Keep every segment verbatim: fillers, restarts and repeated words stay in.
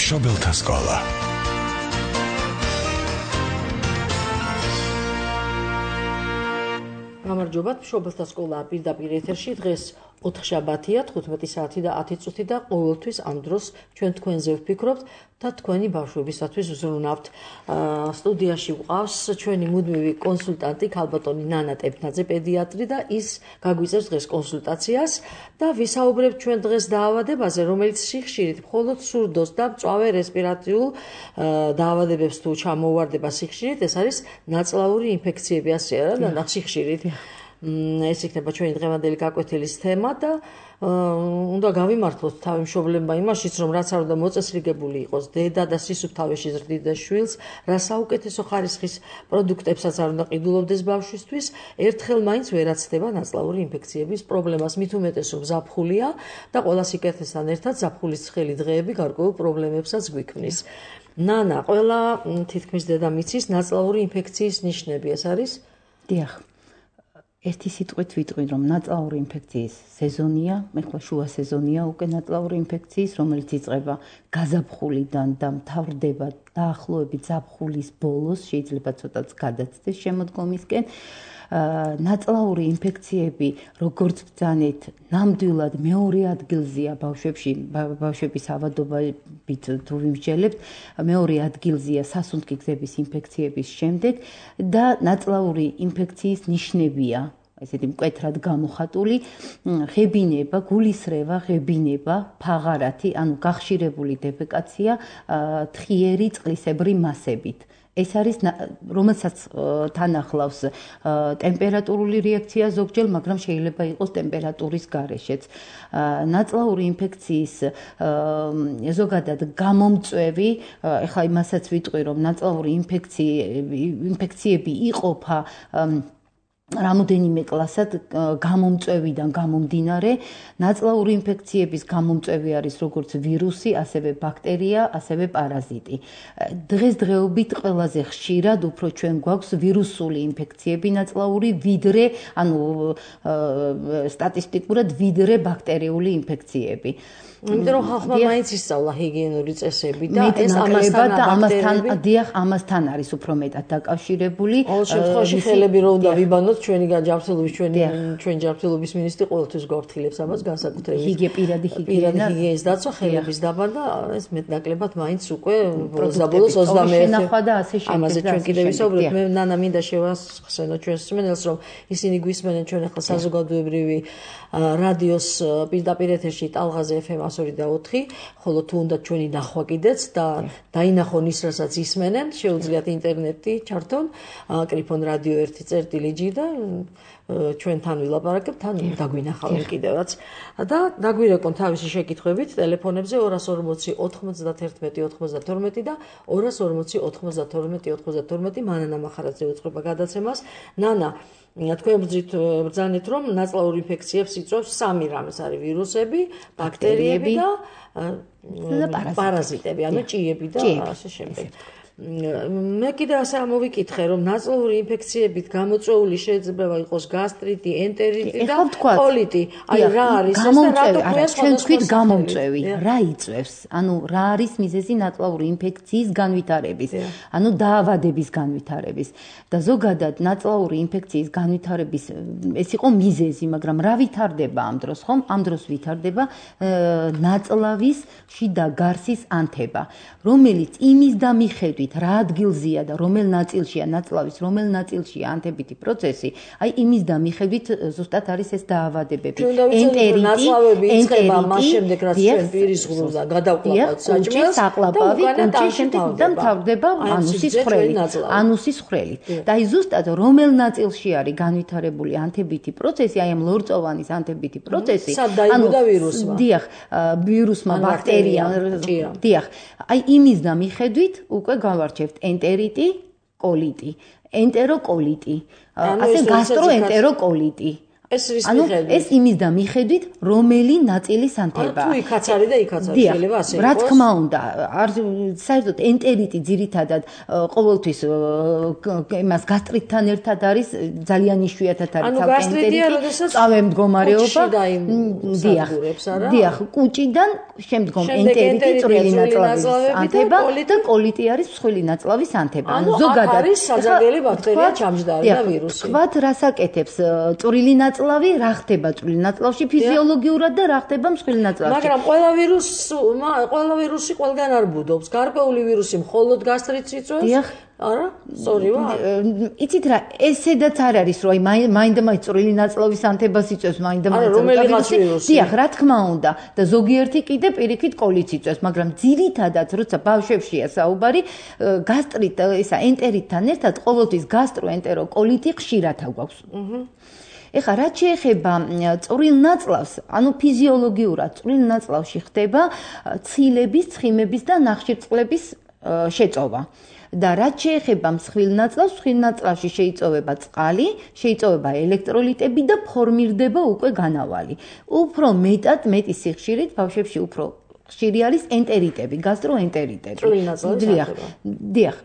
მშობელთა სკოლა. გამარჯობათ, მშობელთა სკოლა პირდაპირ ეთერში. დღეს ოთხშაბათია, თხუთმეტი საათი და ათი წუთი და ყოველთვის ამ დროს ჩვენ თქვენზე ვფიქრობთ და თქვენი ბავშვებისათვის ვზრუნავთ. სტუდიაში ვყავს ჩვენი მუდმივი კონსულტანტი ქალბატონი ნანა ტეფნაძე, პედიატრი და ის გაგვიწევს დღეს კონსულტაციას და ვისაუბრებთ ჩვენ დღეს დაავადებაზე, რომელიც სიხშირით მხოლოდ სურდოს და მწვავე რესპირაციულ დაავადებებს თუ ჩამოუვარდება სიხშირით, ეს არის ნაწლავური ინფექციები, ასე არა და სიხშირით. ეს იქნება ჩვენი დღევანდელი გაკვეთილის თემა და უნდა გავიმართლოთ თავი მშობლებმა იმაშიც, რომ რაც არ უნდა მოწესრიგებული იყოს დედა და სისუფთავეში ზრდიდეს შვილს, რა საუკეთესო ხარისხის პროდუქტებსაც არ უნდა ყიდულობდეს ბავშვისთვის, ერთხელ მაინც ვერაცდება ნაწლავური ინფექციების პრობლემას, მით უმეტეს რომ ზაფხულია და ყველა სიკეთესთან ერთად ზაფხულის ცხელი დღეები გარკვეულ პრობლემებსაც გვიქმნის. ნანა, ყველა თითქმის დედა მიცის ნაწლავური ინფექციის ნიშნები, ეს არის? დიახ. ერთი სიტყვით ვიტყვი, რომ ნაწლავური ინფექციის სეზონია, ეხლა შუა სეზონია უკვე ნაწლავური ინფექციის, რომელიც იწყება გაზაფხულიდან და მთავრდება დაახლოებით ზაფხულის ბოლოს, შეიძლება ცოტაც გადაცდეს შემოდგომისკენ. ნაწლავური ინფექციები, როგორც ბრძანეთ, ნამდვილად მეორე ადგილზეა ბავშვებში, ბავშვების ავადობით თუ ვიმსჯელებთ, მეორე ადგილზეა სასუნთქი გზების ინფექციების შემდეგ და ნაწლავური ინფექციის ნიშნებია ესეთი მკვეთრად გამოხატული ღებინება, გულისრევა, ღებინება, ფაღარათი, ანუ გახშირებული დეფეკაცია თხიერი წყლისებრი მასებით. ეს არის, რომელსაც თან ახლავს ტემპერატურული რეაქცია ზოგჯერ, მაგრამ შეიძლება იყოს ტემპერატურის გარეშეც. ნაწლავური ინფექციის ზოგადად გამომწვევი, ეხლა იმასაც ვიტყვი, რომ ნაწლავური ინფექციები იყოფა რამოდენიმე კლასად გამომწვევიდან გამომდინარე. ნაწლავური ინფექციების გამომწვევი არის როგორც ვირუსი, ასევე ბაქტერია, ასევე პარაზიტი. დღესდღეობით ყველაზე ხშირად უფრო ჩვენ გვაქვს ვირუსული ინფექციები ნაწლავური, ვიდრე, ანუ სტატისტიკურად ვიდრე ბაქტერიული ინფექციები. იმიტომ რომ ხალხმა მაინც ისწავლა ჰიგიენური წესები და ეს ამასთან და ამასთან დიახ, ამასთან არის უფრო მეტად დაკავშირებული. ყოველ შემთხვევაში ხელები რო უნდა ვიბანოთ, ჩვენი ჯანმრთელობის ჩვენი ჩვენი ჯანმრთელობის მინისტრი ყოველთვის გვაფრთხილებს ამას განსაკუთრებით. ჰიგიე პირადი ჰიგიენა, პირადი ჰიგიენის დაცვა, ხელების დაბა და ეს მეტნაკლებად მაინც უკვე ბოლოს და ბოლოს ოცდამეერთე შენახვა და ასე შემდეგ. ამაზე ჩვენ კიდევ ვისაუბრებთ. მე ნანა მინდა შევახსენო ჩვენს მსმენელს, რომ ისინი გვისმენენ ჩვენ ახლა საზოგადოებრივი რადიოს პირდაპირ ეთერში ტალღაზე ეფ ემ ორი და ოთხი, ხოლო თუ უნდა ჩვენი ნახვა კიდეც და დაინახონ ის, რასაც ისმენენ, შეუძლიათ ინტერნეტი ჩართონ, კრიფონ რადიო ერთი წერტილი ჯი და ჩვენთან ვილაპარაკებთ, თან დაგვინახავენ კიდევაც და დაგვირეკონ თავისი შეკითხვებით ტელეფონებზე ორას ორმოცი ოთხმოცდათერთმეტი ოცდათორმეტი და ორას ორმოცი ოთხმოცდათორმეტი ოცდათორმეტი. მანანა მახარაძე უწყება გადაცემას. ნანა, თქვენ ბრძანეთ, რომ ნაწლავურ ინფექციებს იწვევს სამი რამე, ეს არის ვირუსები, ბაქტერიები და პარაზიტები, ანუ ჭიები და ასე შემდეგ. მე კიდე ასე ამოვიკითხე, რომ ნაწლავური ინფექციებით გამოწვეული შეიძლება იყოს გასტრიტი, ენტერიტი და კოლიტი. აი რა არის ეს და რატო ქვია ჩვენ თქვით გამომწვევი, რა იწვევს? ანუ რა არის მიზეზი ნაწლავური ინფექციის განვითარების, ანუ დაავადების განვითარების. და ზოგადად ნაწლავური ინფექციის განვითარების ეს იყო მიზეზი, მაგრამ რა ვითარდება ამ დროს, ხომ? ამ დროს ვითარდება ნაწლავის შიდა გარსის ანთება, რომელიც იმის და მიხედვით რა ადგილზეა და რომელ ნაწილშია ნაწლავის, რომელ ნაწილშია ანთებითი პროცესი, აი იმის და მიხედვით ზუსტად არის ეს დაავადებები. ენტერიტი, ნაწლავები იწყება მას შემდეგ, რაც ჩვენ პირის ღრუზა გადავყლაპავთ საჭმელს, საყლაპავი, კუჭის შემდეგ და მთავრდება ანუსის ხვრელით. ანუსის ხვრელით. და აი ზუსტად რომელ ნაწილში არის განვითარებული ანთებითი პროცესი, აი ამ ლორწოვანის ანთებითი პროცესი, სად დაიბადა ვირუსმა? დიახ, ვირუსმა, ბაქტერიამ, დიახ. აი იმის და მიხედვით უკვე გავარჩევთ ენტერიტი, კოლიტი, ენტეროკოლიტი, ასე გასტროენტეროკოლიტი. ანუ ეს იმის და მიხედვით რომელი ნაწილის ანთება. თუ იქაც არის და იქაც არის შეიძლება ასე იყოს. რა თქმა უნდა, არ საერთოდ ენტერიტი ძირითადად ყოველთვის იმას გასტრიტთან ერთად არის ძალიან იშვიათად არის თალკე ენტერიტი. წავე მდგომარეობა. დიახ. დიახ, კუჭიდან შემდგომ ენტერიტი წვრილი ნაწლავის ანთება და კოლიტი არის მსხვილი ნაწლავის ანთება. ანუ ზოგადად არის საძაგელი ბაქტერია ჩამჯდარი და ვირუსი. თქვათ რას აკეთებს წვრილი ნაწლავი, რა ხდება წვრილი ნაწლავში ფიზიოლოგიურად და რა ხდება მსხვილი ნაწლავში. მაგრამ ყველა ვირუსი, ყველა ვირუსი ყველგან არ ბუდობს. გარკვეული ვირუსი მხოლოდ გასტრიტს იწვევს. დიახ. არა, სწორი ვარ. იცით რა, ესედაც არ არის, რომ აი მაინდა-მაინც წვრილი ნაწლავის ანთებას იწვევს, მაინდა-მაინც ვირუსი. დიახ, რა თქმა უნდა და ზოგიერთი კიდე პირიქით კოლიტს იწვევს, მაგრამ ძირითადად როცა ბავშვებშია საუბარი, გასტრიტ ისა ენტერიტთან ერთად ყოველთვის გასტროენტეროკოლიტი ხშირად აგვაქვს. აჰა. ეხლა რაც შეეხება წვრილ ნაწლავს, ანუ ფიზიოლოგიურად წვრილ ნაწლავში ხდება ცილების, ცხიმების და ნახშირწყლების შეწოვა. და რაც შეეხება მსხვილ ნაწლავს, მსხვილ ნაწლავში შეიწოვება წყალი, შეიწოვება ელექტროლიტები და ფორმირდება უკვე განავალი. უფრო მეტად, მეტი სიხშირით ბავშვებში უფრო ხშირი არის ენტერიტები, გასტროენტერიტები. წვრილი ნაწლავის ანთება. დიახ.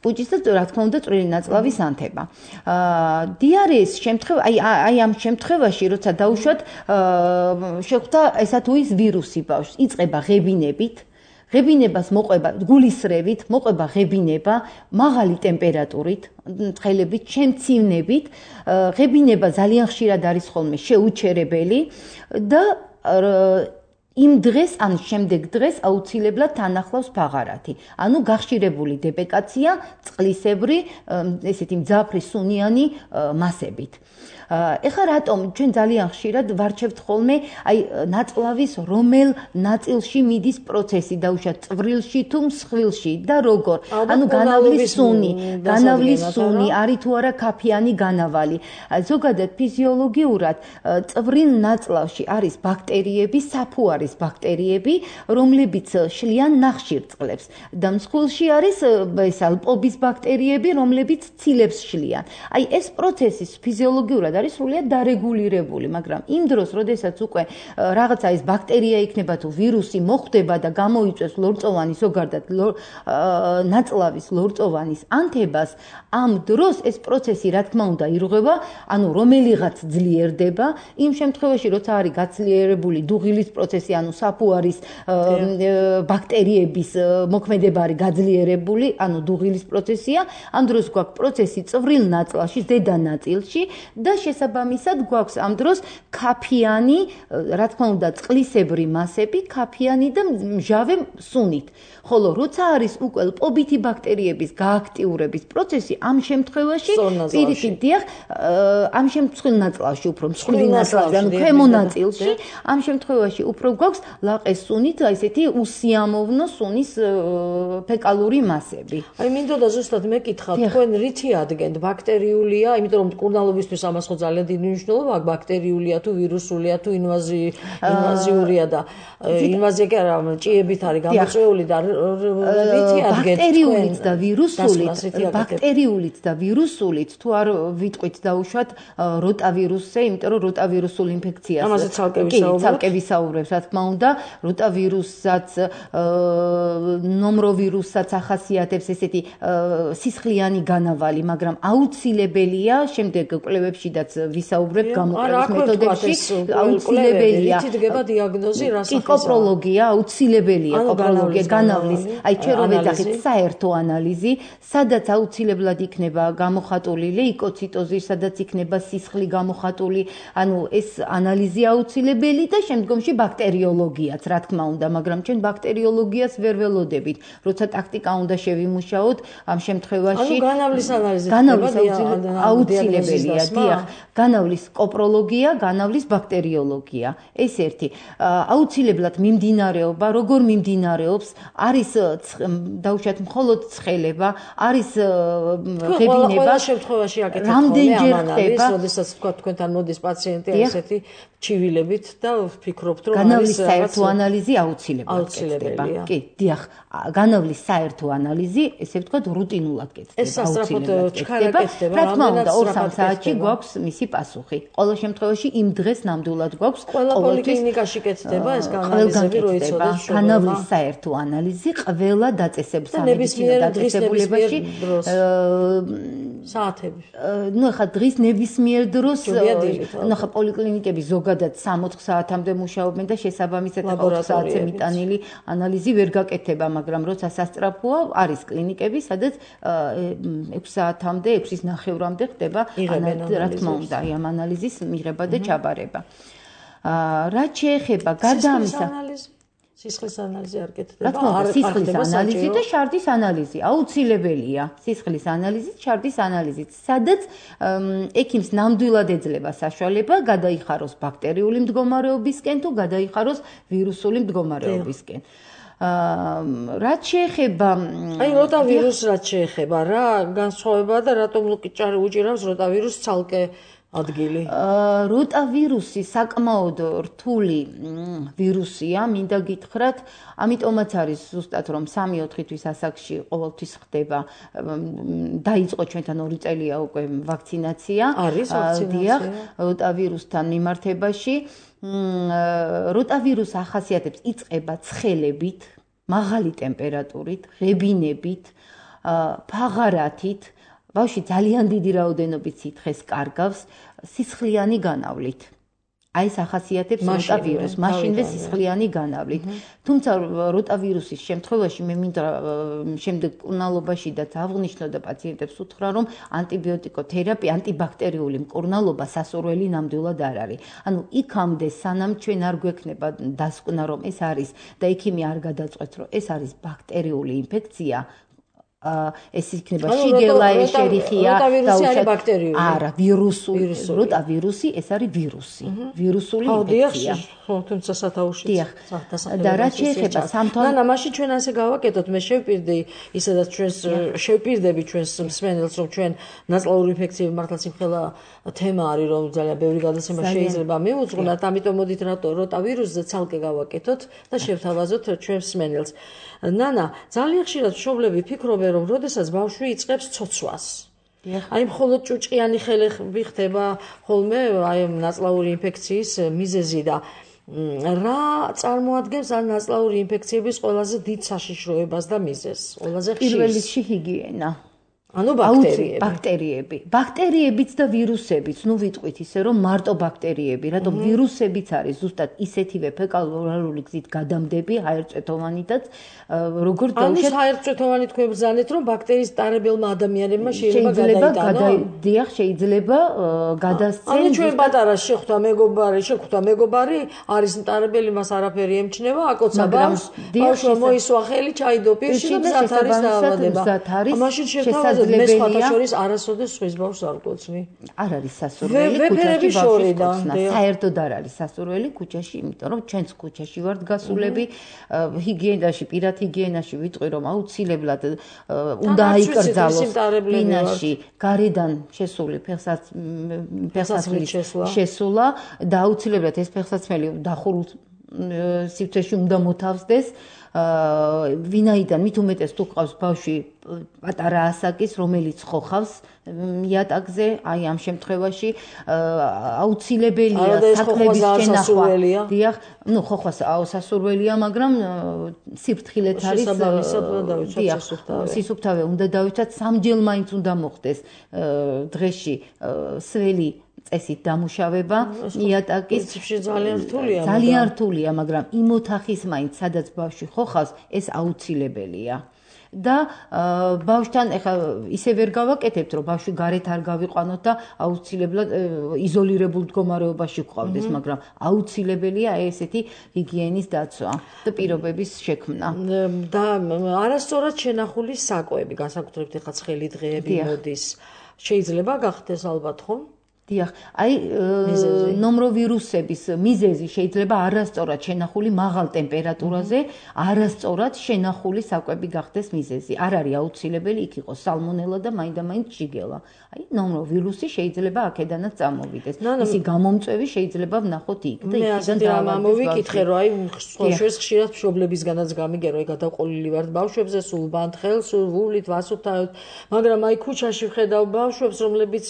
კუჭის და რა თქმა უნდა წვრილი ნაწლავის ანთება. აა დიარეის შემთხვევა, აი აი ამ შემთხვევაში, როცა დაუშვათ, აა შეხვდა ესა თუ ის ვირუსი ბავშვს, იწყება ღებინებით. ღებინებას მოყვება გულისრევით, მოყვება ღებინება მაღალი ტემპერატურით, ცხელებით, შემცირნებით. ღებინება ძალიან ხშირად არის ხოლმე შეუჩერებელი და იმ დღეს ან შემდეგ დღეს აუცილებლად თან ახლავს ფაღარათი. ანუ გახშირებული დებეკაცია წყლისებრი, ესეთი მძაფრი სუნიანი მასებით. ეხლა რატომ ჩვენ ძალიან ხშირად ვარჩევთ ხოლმე აი ნაწლავის რომელ ნაწილში მიდის პროცესი დაუშვათ წვრილში თუ მსხვილში და როგორ ანუ განავლის სუნი განავლის სუნი არის თუ არა ქაფიანი განავალი ზოგადად ფიზიოლოგიურად წვრილ ნაწლავში არის ბაქტერიები საფუარის ბაქტერიები რომლებიც შლიან ნახშირწყლებს და მსხვილში არის ეს ალპობის ბაქტერიები რომლებიც ცილებს შლიან აი ეს პროცესი ფიზიოლოგიურად არის სრულიად დარეგულირებული, მაგრამ იმ დროს, როდესაც უკვე რაღაცა ეს ბაქტერია იქნება თუ ვირუსი მოხვდება და გამოიწვევს ლორწოვანი ზოგადად ნაწლავის ლორწოვანის ანთებას, ამ დროს ეს პროცესი რა თქმა უნდა ირღვევა, ანუ რომელიღაც ძლიერდება, იმ შემთხვევაში, როცა არის გაძლიერებული დუღილის პროცესი, ანუ საფუარის ბაქტერიების მოქმედება არის გაძლიერებული, ანუ დუღილის პროცესია, ამ დროს გვაქვს პროცესი წვრილ ნაწლავში, ზედა ნაწილში და შესაბამისად გვაქვს ამ დროს ქაფიანი, რა თქმა უნდა, წყლისებრი მასები, ქაფიანი და მჟავე სუნით. ხოლო როცა არის უკვე ლპობითი ბაქტერიების გააქტიურების პროცესი, ამ შემთხვევაში პირიქით დიახ, ამ შემთხვევაში ნაწლავში უფრო მსხვილი ნაწლავში, ანუ ქვემო ნაწილში, ამ შემთხვევაში უფრო გვაქვს ლაყეს სუნით, ესეთი უსიამოვნო სუნის ფეკალური მასები. აი მინდოდა ზუსტად მეკითხა, თქვენ რითი ადგენთ ბაქტერიულია, იმიტომ რომ მკურნალობისთვის ამას ხო ძალიან დიდი მნიშვნელობა აქვს ბაქტერიულია თუ ვირუსულია თუ ინვაზი ინვაზიურია და ინვაზია კი არა ჭიებით არის გამოწვეული და რითი ადგენთ ბაქტერიულით და ვირუსულით ბაქტერიულით და ვირუსულით თუ არ ვიტყვით დაუშვათ როტავირუსზე იმიტომ რომ როტავირუსულ ინფექციას ამაზე ცალკე ვისაუბრებ ცალკე ვისაუბრებ რა თქმა უნდა როტავირუსსაც ნომროვირუსსაც ახასიათებს ესეთი სისხლიანი განავალი მაგრამ აუცილებელია შემდეგ კვლევებშიდაც ვისაუბრებ გამოყენის მეთოდებში აუცილებელია რითი დგება დიაგნოზი რა სახის კოპროლოგია აუცილებელია კოპროლოგია განავლის აი ჩვენ რომ ვეძახით საერთო ანალიზი სადაც აუცილებლად იქნება გამოხატული ლეიკოციტოზი სადაც იქნება სისხლი გამოხატული ანუ ეს ანალიზი აუცილებელი და შემდგომში ბაქტერიოლოგიაც რა თქმა უნდა მაგრამ ჩვენ ბაქტერიოლოგიას ვერ ველოდებით როცა ტაქტიკა უნდა შევიმუშაოთ ამ შემთხვევაში ანუ განავლის ანალიზი განავლის აუცილებელია დიახ განავლის კოპროლოგია განავლის ბაქტერიოლოგია ეს ერთი აუცილებლად მიმდინარეობა როგორ მიმდინარეობს არის დაუშვათ მხოლოდ ცხელება არის ღებინება ყველა შემთხვევაში აკეთებს რამდენჯერ ხდება როდესაც თქვა თქვენთან მოდის პაციენტი ესეთი ჩივილებით და ვფიქრობთ, რომ განავლის საერთო ანალიზი აუცილებლად კეთდება. კი, დიახ, განავლის საერთო ანალიზი, ესე ვთქვათ, რუტინულად კეთდება, აუცილებლად კეთდება. რა თქმა უნდა, ორ-სამ საათში გვაქვს მისი პასუხი. ყოველ შემთხვევაში იმ დღეს ნამდვილად გვაქვს ყველა პოლიკლინიკაში კეთდება ეს განალიზები, რო იცოდეთ, განავლის საერთო ანალიზი ყველა დაწესებულ სამედიცინო დაწესებულებაში საათები. ნუ ახლა დღის ნებისმიერ დროს, ნუ ახლა პოლიკლინიკები ზოგადად სამოთხ საათამდე მუშაობენ და შესაბამისად ოთხ საათზე მიტანილი ანალიზი ვერ გაკეთება, მაგრამ როცა სასწრაფოა, არის კლინიკები, სადაც ექვს საათამდე, ექვსის ნახევრამდე ხდება, რა თქმა უნდა, ამ ანალიზის მიღება და ჩაბარება. რაც შეეხება გარდა ამისა, სისხლის ანალიზი არ კეთდება. რა თქმა უნდა, სისხლის ანალიზი და შარდის ანალიზი აუცილებელია. სისხლის ანალიზი, შარდის ანალიზი, სადაც ექიმს ნამდვილად ეძლევა საშუალება გადაიხაროს ბაქტერიული მდგომარეობისკენ თუ გადაიხაროს ვირუსული მდგომარეობისკენ. რაც შეეხება აი როტავირუსს რაც შეეხება რა განსხვავებაა და რატომ უჭირავს როტავირუსს ცალკე ადგილი. როტავირუსი საკმაოდ რთული ვირუსია, მინდა გითხრათ, ამიტომაც არის ზუსტად რომ სამი-ოთხი თვის ასაკში ყოველთვის ხდება. დაიწყო ჩვენთან ორი წელია უკვე ვაქცინაცია. არის ვაქცინაცია როტავირუსთან მიმართებაში. როტავირუსი ახასიათებს იწყება ცხელებით, მაღალი ტემპერატურით, ღებინებით, ფაღარათით. ბავშვი ძალიან დიდი რაოდენობით სითხეს კარგავს სისხლიანი განავლით. აი ეს ახასიათებს როტავირუსს, მაშინვე სისხლიანი განავლით. თუმცა როტავირუსის შემთხვევაში მე მინდა შემდეგ მკურნალობაში და აღვნიშნო და პაციენტებს უთხრა, რომ ანტიბიოტიკოთერაპია, ანტიბაქტერიული მკურნალობა სასურველი ნამდვილად არ არის. ანუ იქამდე სანამ ჩვენ არ გვექნება დასკვნა, რომ ეს არის და ექიმი არ გადაწყვეტს, რომ ეს არის ბაქტერიული ინფექცია, ეს იქნება შიგელა ეშერიხია და ბაქტერიული. არა, ვირუსული. როტავირუსი ეს არის ვირუსი. ვირუსული ინფექცია. ხო, თუმცა სათაურში და რაც შეეხება სამთვალ და მაშინ ჩვენ ასე გავაკეთოთ, მე შევპირდი ისედაც ჩვენს შევპირდები ჩვენს მსმენელს, რომ ჩვენ ნაწლავური ინფექციები მართლაც იმხელა თემა არის, რომ ძალიან ბევრი გადაცემა შეიძლება მივუძღვნათ, ამიტომ მოდით როტავირუსზე ცალკე გავაკეთოთ და შევთავაზოთ ჩვენს მსმენელს. ნანა, ძალიან ხშირად მშობლები ფიქრობენ, რომ როდესაც ბავშვი იწყებს ცოცვას, აი მხოლოდ ჭუჭყიანი ხელები ხდება ხოლმე აი ნაწლავური ინფექციის მიზეზი და რა წარმოადგენს ამ ნაწლავური ინფექციების ყველაზე დიდ საშიშროებას და მიზეზს? ყველაზე ხშირ პირველ რიგში ჰიგიენა. ანუ ბაქტერიები. ბაქტერიები. ბაქტერიებიც და ვირუსებიც, ნუ ვიტყვით ისე რომ მარტო ბაქტერიები, რატომ ვირუსებიც არის ზუსტად ისეთივე ფეკალ-ორალური გზით გადამდები, ჰაერწვეთოვანითაც, როგორც დაუშვათ. ანუ ჰაერწვეთოვანი თქვენ ბრძანეთ, რომ ბაქტერიის ტარებელმა ადამიანებმა შეიძლება გადაიდიან, შეიძლება გადასცენ. ანუ ჩვენ პატარა შეხვდა მეგობარი, შეხვდა მეგობარი, არის ტარებელი, მას არაფერი ემჩნევა, აკოცა ბავშვს, ბავშვმა მოისვა ხელი, ჩაიდო პირში და მზად არის დაავადება. მაშინ შევთავაზოთ მე სხვათა შორის არასოდეს სხვის ბავშვს არ გკოცნი. არ არის სასურველი ქუჩაში ბავშვს გკოცნა. საერთოდ არ არის სასურველი ქუჩაში, იმიტომ რომ ჩვენც ქუჩაში ვართ გასულები, ჰიგიენაში, პირად ჰიგიენაში ვიტყვი რომ აუცილებლად უნდა აიკრძალოს ბინაში, გარედან შესული ფეხსაცმლის შესულა და აუცილებლად ეს ფეხსაცმელი დახურულ სივრცეში უნდა მოთავსდეს. ვინაიდან მით უმეტეს თუ ყავს ბავშვი პატარა ასაკის, რომელიც ხოხავს იატაკზე, აი ამ შემთხვევაში აუცილებელია საქმების შენახვა. დიახ, ნუ ხოხვას სასურველია, მაგრამ სიფრთხილეთ არის დიახ, სისუფთავე უნდა დავიცვათ, სამჯერ მაინც უნდა მოხდეს დღეში სველი წესით დამუშავება იატაკის ძალიან რთულია ძალიან რთულია, მაგრამ იმ ოთახის მაინც სადაც ბავშვი ხოხავს, ეს აუცილებელია. და ბავშვთან ეხლა ისე ვერ გავაკეთებთ, რომ ბავშვი გარეთ არ გავიყვანოთ და აუცილებლად იზოლირებულ მდგომარეობაში გყავდეს, მაგრამ აუცილებელია ესეთი ჰიგიენის დაცვა და პირობების შექმნა. და არასწორად შენახული საკვები, განსაკუთრებით ეხლა ცხელი დღეები მოდის. შეიძლება გახდეს ალბათ, ხო? დიახ, აი ნომროვირუსების მიზეზი შეიძლება არასწორად შენახული მაღალ ტემპერატურაზე, არასწორად შენახული საკვები გახდეს მიზეზი. არ არის აუცილებელი იქ იყოს სალმონელა და მაინდა-მაინც შიგელა. აი ნომროვირუსი შეიძლება აქედანაც წამოვიდეს. ისი გამომწვევი შეიძლება ვნახოთ იქ და იქიდან დავამოვიკითხე, რომ აი სხვაშორის ხშირად მშობლებისგანაც გამიგე, რომ გადაყოლილი ვართ ბავშვებზე, სულ ბანთხელ, სულ ვულით, ვასუფთავებთ, მაგრამ აი ქუჩაში ვხედავ ბავშვებს, რომლებიც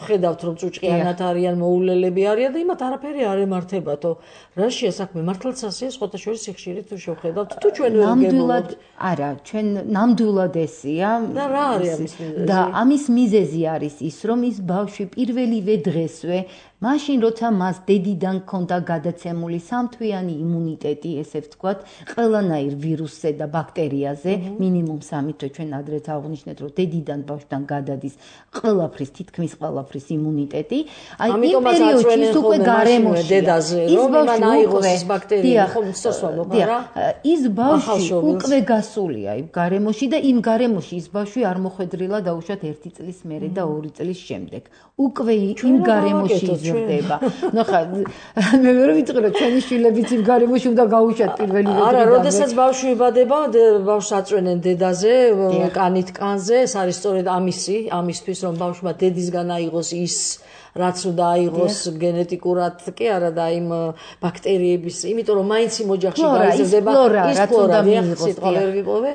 ხედავთ რომ წუჭყიანად არიან, მოულელები არიან და იმათ არაფერი არ ემართებათო. რა შეასაქმე მართლაც ასეა სხვათა შორის სიხშირით თუ შევხედავთ თუ ჩვენ ვერ ნამდვილად არა, ჩვენ ნამდვილად ესია და რა არის ამის მიზეზი? და ამის მიზეზი არის ის, რომ ის ბავშვი პირველივე დღესვე მაშინ როცა მას დედიდან ჰქონდა გადაცემული სამთვიანი იმუნიტეტი, ესე ვთქვათ, ყველანაირ ვირუსზე და ბაქტერიაზე, მინიმუმ სამი თვე ჩვენ ადრეც აღვნიშნეთ, რომ დედიდან ბავშვთან გადადის ყველაფრის, თითქმის ყველაფრის იმუნიტეტი. აი იმ პერიოდში ის უკვე გარემოში დედაზე, რომ იმან აიღოს ეს ბაქტერია, ხომ სწორსვამობ, არა? ის ბავშვი უკვე გასულია იმ გარემოში და იმ გარემოში ის ბავშვი არ მოხვედრილა დაუშვათ ერთი წლის მერე და ორი წლის შემდეგ. უკვე იმ გარემოში იზრდება. ნუ ხა მე ვერ ვიცი რომ ჩვენი შვილებიც იმ გარემოში უნდა გაუშვათ პირველი რიგში. არა, როდესაც ბავშვი იბადება, ბავშვს აწვენენ დედაზე, კანით კანზე, ეს არის სწორედ ამისი, ამისთვის რომ ბავშვმა დედისგან აიღოს ის რაც უნდა აიღოს გენეტიკურად კი არა და იმ ბაქტერიების, იმიტომ რომ მაინც იმ ოჯახში გაიზრდება ის ფლორა, სიტყვა ვერ ვიპოვე,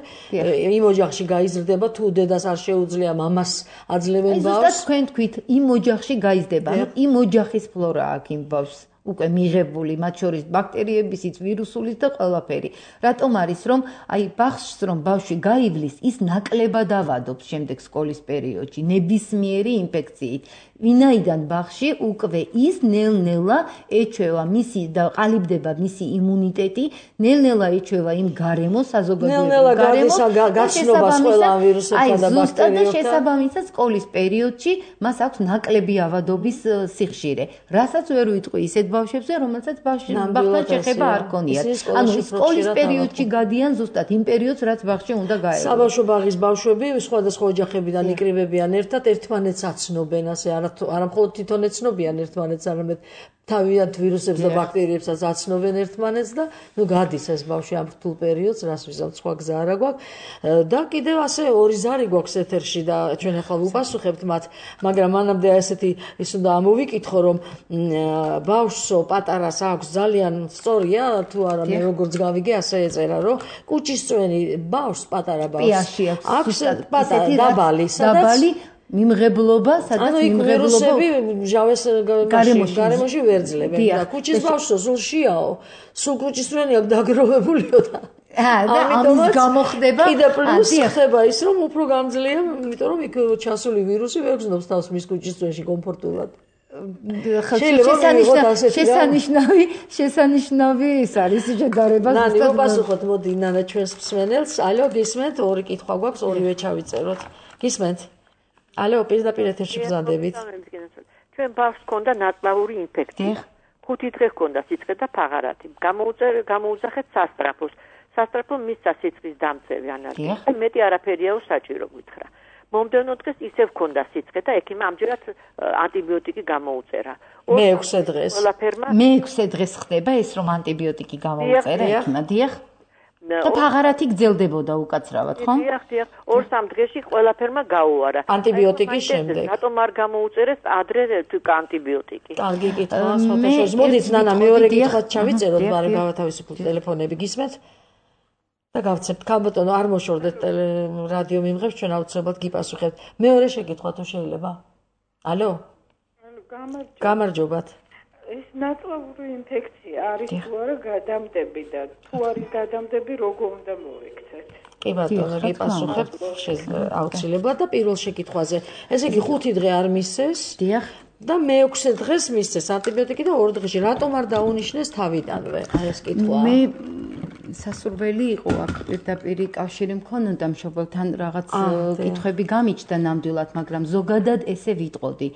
იმ ოჯახში გაიზრდება, თუ დედას არ შეუძლია მამას აძლევენ ბავშვს. ზუსტად თქვენ თქვით, იმ ოჯახში გაიზრდება, ანუ იმ ოჯახის ფლორა აქვს იმ ბავშვს. უკვე მიღებული, მათ შორის ბაქტერიებისიც, ვირუსულიც და ყველაფერი. რატომ არის, რომ აი ბავშვს რომ ბავშვი გაივლის, ის ნაკლებად ავადობს შემდეგ სკოლის პერიოდში, ნებისმიერი ინფექციით. ვინაიდან ბავშვი უკვე ის ნელ-ნელა ეჩვევა მისი და ყალიბდება მისი იმუნიტეტი, ნელ-ნელა ეჩვევა იმ გარემოს, საზოგადოებრივ გარემოს, გაცნობას ყველა ვირუსებთან და ბაქტერიებთან. და შესაბამისად სკოლის პერიოდში მას აქვს ნაკლები ავადობის სიხშირე. რასაც ვერ ვიტყვი ისეთ ბავშვებზე, რომელსაც ბავშვთან შეხება არ ქონიათ. ანუ სკოლის პერიოდში გადიან ზუსტად იმ პერიოდს, რაც ბავშვი უნდა გაეღო. საბავშვო ბაღის ბავშვები სხვადასხვა ოჯახებიდან იკრიბებიან ერთად, ერთმანეთს აცნობენ, ასე არა არა მხოლოდ თვითონ ეცნობიან ერთმანეთს, არამედ თავიანთ ვირუსებს და ბაქტერიებსაც აცნობენ ერთმანეთს და ნუ გადის ეს ბავშვი ამ რთულ პერიოდს, რას ვიზავთ, სხვა გზა არა გვაქვს. და კიდევ ასე ორი ზარი გვაქვს ეთერში და ჩვენ ახლა ვუპასუხებთ მათ, მაგრამ მანამდე ესეთი ის უნდა ამოვიკითხო, რომ ბავშვსო პატარას აქვს ძალიან სწორია, თუ არა მე როგორც გავიგე, ასე ეწერა, რომ კუჭისწვენი ბავშვს პატარა ბავშვს აქვს პატარა დაბალი, სადაც მიმღებლობა, სადაც მიმღებლობა მჟავეს გარემოში ვერ ძლებენ და კუჩის ბავშვო სულ შიაო, სულ კუჭისწვენი აქვს დაგროვებულიო და და ამის გამო ხდება კიდე პლუს ხდება ის რომ უფრო გამძლეა, იმიტომ რომ იქ ჩასული ვირუსი ვერ გზნობს თავს მის კუჭისწვენში კომფორტულად. შესანიშნავი შესანიშნავი ის არის შედარება ზუსტად. ნანი მოპასუხოთ მოდი ნანა ჩვენს მსმენელს. ალო გისმენთ? ორი კითხვა გვაქვს, ორივე ჩავიწეროთ. გისმენთ? ალო პირდაპირ ეთერში ბრძანდებით. ჩვენ ბავშვს ჰქონდა ნაწლავური ინფექცია. ხუთი დღე ჰქონდა სიცხე და ფაღარათი. გამოუძახეთ სასტრაფოს. სასტრაფო მისცა სიცხის დამწევი ანალიზი. მეტი არაფერია საჭირო გითხრა. მომდევნო დღეს ისევ ჰქონდა სიცხე და ექიმმა ამჯერად ანტიბიოტიკი გამოუწერა. მეექვსე დღეს. მეექვსე დღეს ხდება ეს რომ ანტიბიოტიკი გამოუწერა ექიმმა, დიახ. და ფაღარათი გრძელდებოდა უკაცრავად, ხო? დიახ, დიახ. ორ-სამ დღეში ყველაფერმა გაუარა. ანტიბიოტიკის შემდეგ. რატომ არ გამოუწერეს ადრე ანტიბიოტიკი? კარგი კითხვა, სხვათა შორის. მოდით ნანა მეორე კითხვაც ჩავიწეროთ, მაგრამ გავათავისუფლოთ ტელეფონები, გისმენთ? და გავცემთ კაბოტონო, არ მოშორდეთ რადიო მიმღებს, ჩვენ აუცილებლად გიპასუხებთ. მეორე შეკითხვა თუ შეიძლება. ალო? გამარჯობათ. ეს ნაწლავური ინფექცია არის თუ არა გადამდები და თუ არის გადამდები, როგორ უნდა მოვიქცეთ? კი ბატონო, გიპასუხებთ აუცილებლად და პირველ შეკითხვაზე. ესე იგი ხუთი დღე არ მისცეს? დიახ. და მეექვსე დღეს მისცეს ანტიბიოტიკი და ორ დღეში. რატომ არ დაუნიშნეს თავიდანვე? აი ეს კითხვა. მე სასურველი იყო აქ პირდაპირ კავშირი მქონოდა მშობელთან რაღაც კითხვები გამიჩნდა ნამდვილად, მაგრამ ზოგადად ესე ვიტყოდი,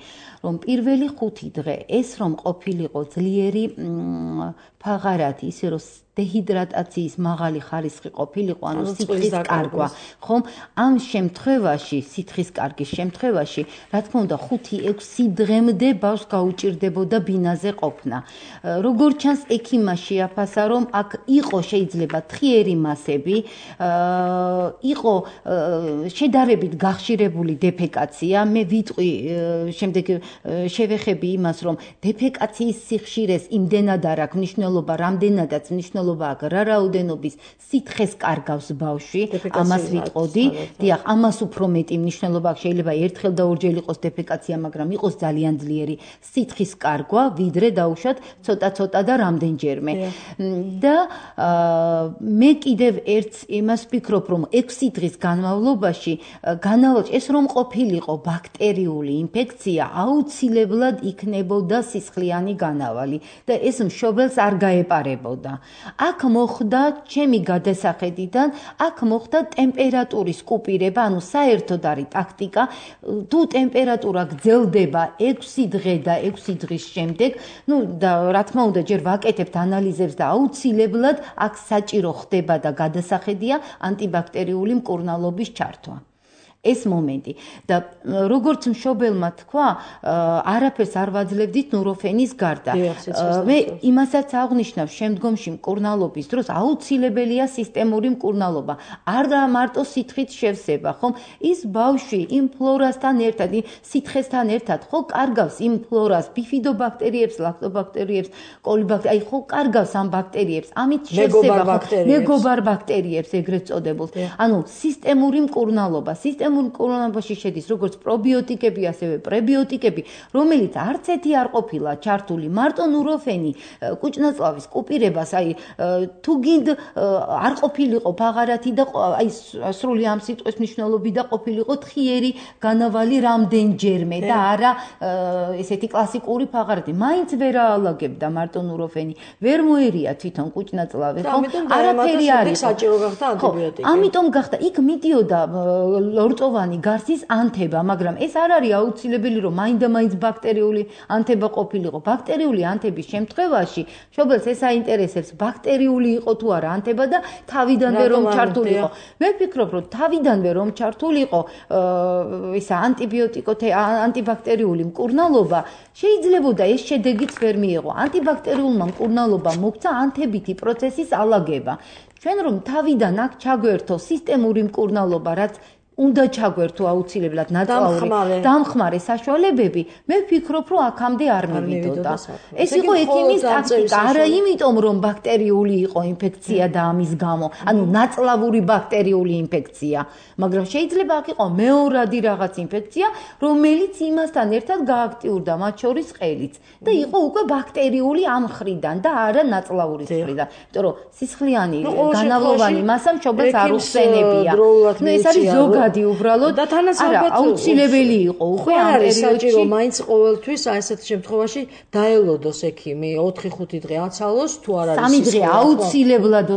რომ პირველი ხუთი დღე ეს რომ ყოფილიყო ძლიერი ფაღარათი, ისე რომ დეჰიდრატაციის მაღალი ხარისხი ყოფილიყო, ანუ სითხის კარგვა, ხომ? ამ შემთხვევაში, სითხის კარგის შემთხვევაში, რა თქმა უნდა, ხუთი ექვსი დღემდე ბავშვს გაუჭირდებოდა ბინაზე ყოფნა. როგორც ჩანს, ექიმმა შეაფასა, რომ აქ იყო შეიძლება თხიერი მასები, იყო შედარებით გახშირებული დეფეკაცია, მე ვიტყვი შემდეგ შევეხები იმას, რომ დეფეკაციის სიხშირეს იმდენად არ აქვს მნიშვნელობა, რამდენადაც მნიშვნელობა აქვს რა რაოდენობის სითხეს კარგავს ბავშვი, ამას ვიტყოდი. დიახ, ამას უფრო მეტი მნიშვნელობა აქვს, შეიძლება ერთხელ და ორჯერ იყოს დეფეკაცია, მაგრამ იყოს ძალიან ძლიერი სითხის კარგვა, ვიდრე დაუშვათ ცოტა-ცოტა და რამდენჯერმე. და მე კიდევ ერთ იმას ვფიქრობ, რომ ექვსი დღის განმავლობაში განავალ ეს რომ ყოფილიყო ბაქტერიული ინფექცია, აუცილებლად იქნებოდა სისხლიანი განავალი და ეს მშობელს არ გაეპარებოდა. აქ მოხდა ჩემი გადასახედიდან, აქ მოხდა ტემპერატურის კუპირება, ანუ საერთოდ არის ტაქტიკა, თუ ტემპერატურა გრძელდება ექვსი დღე და ექვსი დღის შემდეგ, ну და რა თქმა უნდა ჯერ ვაკეთებთ ანალიზებს და აუცილებლად აქ საჭირო ხდება და გადასახედია ანტიბაქტერიული მკურნალობის ჩართვა. ეს მომენტი და როგორც მშობელმა თქვა, არაფერს არ ვაძლევდით ნუროფენის გარდა. მე იმასაც აღნიშნავ, შემდგომში მკურნალობის დროს აუცილებელია სისტემური მკურნალობა. არა მარტო სითხით შევსება, ხომ? ის ბავშვი იმ ფლორასთან ერთად, სითხესთან ერთად ხო კარგავს იმ ფლორას, ბიფიდობაქტერიებს, ლაქტობაქტერიებს, კოლიბაქტერიებს, აი ხო კარგავს ამ ბაქტერიებს. ამით შევსება მეგობარ ბაქტერიებს ეგრეთ წოდებულს. ანუ სისტემური მკურნალობა, სისტემური მკურნალობაში შედის როგორც პრობიოტიკები, ასევე პრებიოტიკები, რომელიც არც ერთი არ ყოფილა ჩართული, მარტო ნუროფენი, კუჭნაწლავის კუპირებას, აი თუ გინდ არ ყოფილიყო ფაღარათი და აი სრული ამ სიტყვის მნიშვნელობი და ყოფილიყო თხიერი განავალი რამდენჯერმე და არა ესეთი კლასიკური ფაღარათი. მაინც ვერ აალაგებდა მარტო ნუროფენი, ვერ მოერია თვითონ კუჭნაწლავი, ხო? არაფერი არის. საჭირო გახდა ანტიბიოტიკი. ამიტომ გახდა იქ მიდიოდა ლორწოვანი გარსის ანთება, მაგრამ ეს არ არის აუცილებელი, რომ მაინდა-მაინც ბაქტერიული ანთება ყოფილიყო. ბაქტერიული ანთების შემთხვევაში მშობელს ეს აინტერესებს, ბაქტერიული იყო თუ არა ანთება და თავიდანვე რომ ჩართულიყო. მე ვფიქრობ, რომ თავიდანვე რომ ჩართულიყო ისა ანტიბიოტიკოთე ანტიბაქტერიული მკურნალობა, შეიძლებოდა ეს შედეგიც ვერ მიიღო. ანტიბაქტერიულმა მკურნალობამ მოგვცა ანთებითი პროცესის ალაგება. ჩვენ რომ თავიდან აქ ჩაგვერთო სისტემური მკურნალობა, რაც უნდა ჩაგვერთო აუცილებლად ნაწლავური დამხმარე საშუალებები, მე ვფიქრობ, რომ აქამდე არ მივიდოდა. ეს იყო ექიმის ტაქტიკა, არა იმიტომ, რომ ბაქტერიული იყო ინფექცია და ამის გამო, ანუ ნაწლავური ბაქტერიული ინფექცია, მაგრამ შეიძლება აქ იყო მეორადი რაღაც ინფექცია, რომელიც იმასთან ერთად გააქტიურდა, მათ შორის ყელიც და იყო უკვე ბაქტერიული ამ მხრიდან და არა ნაწლავური მხრიდან. იმიტომ რომ სისხლიანი განავლოვანი მასა მშობელს არ უხსენებია. ნუ ეს არის ზოგადად გადი უბრალოდ და თანასწორად აუცილებელი იყო უკვე ამ პერიოდში. საჭირო მაინც ყოველთვის აი ესეთ შემთხვევაში დაელოდოს ექიმი ოთხი ხუთი დღე აცალოს თუ არ არის სამი დღე აუცილებლად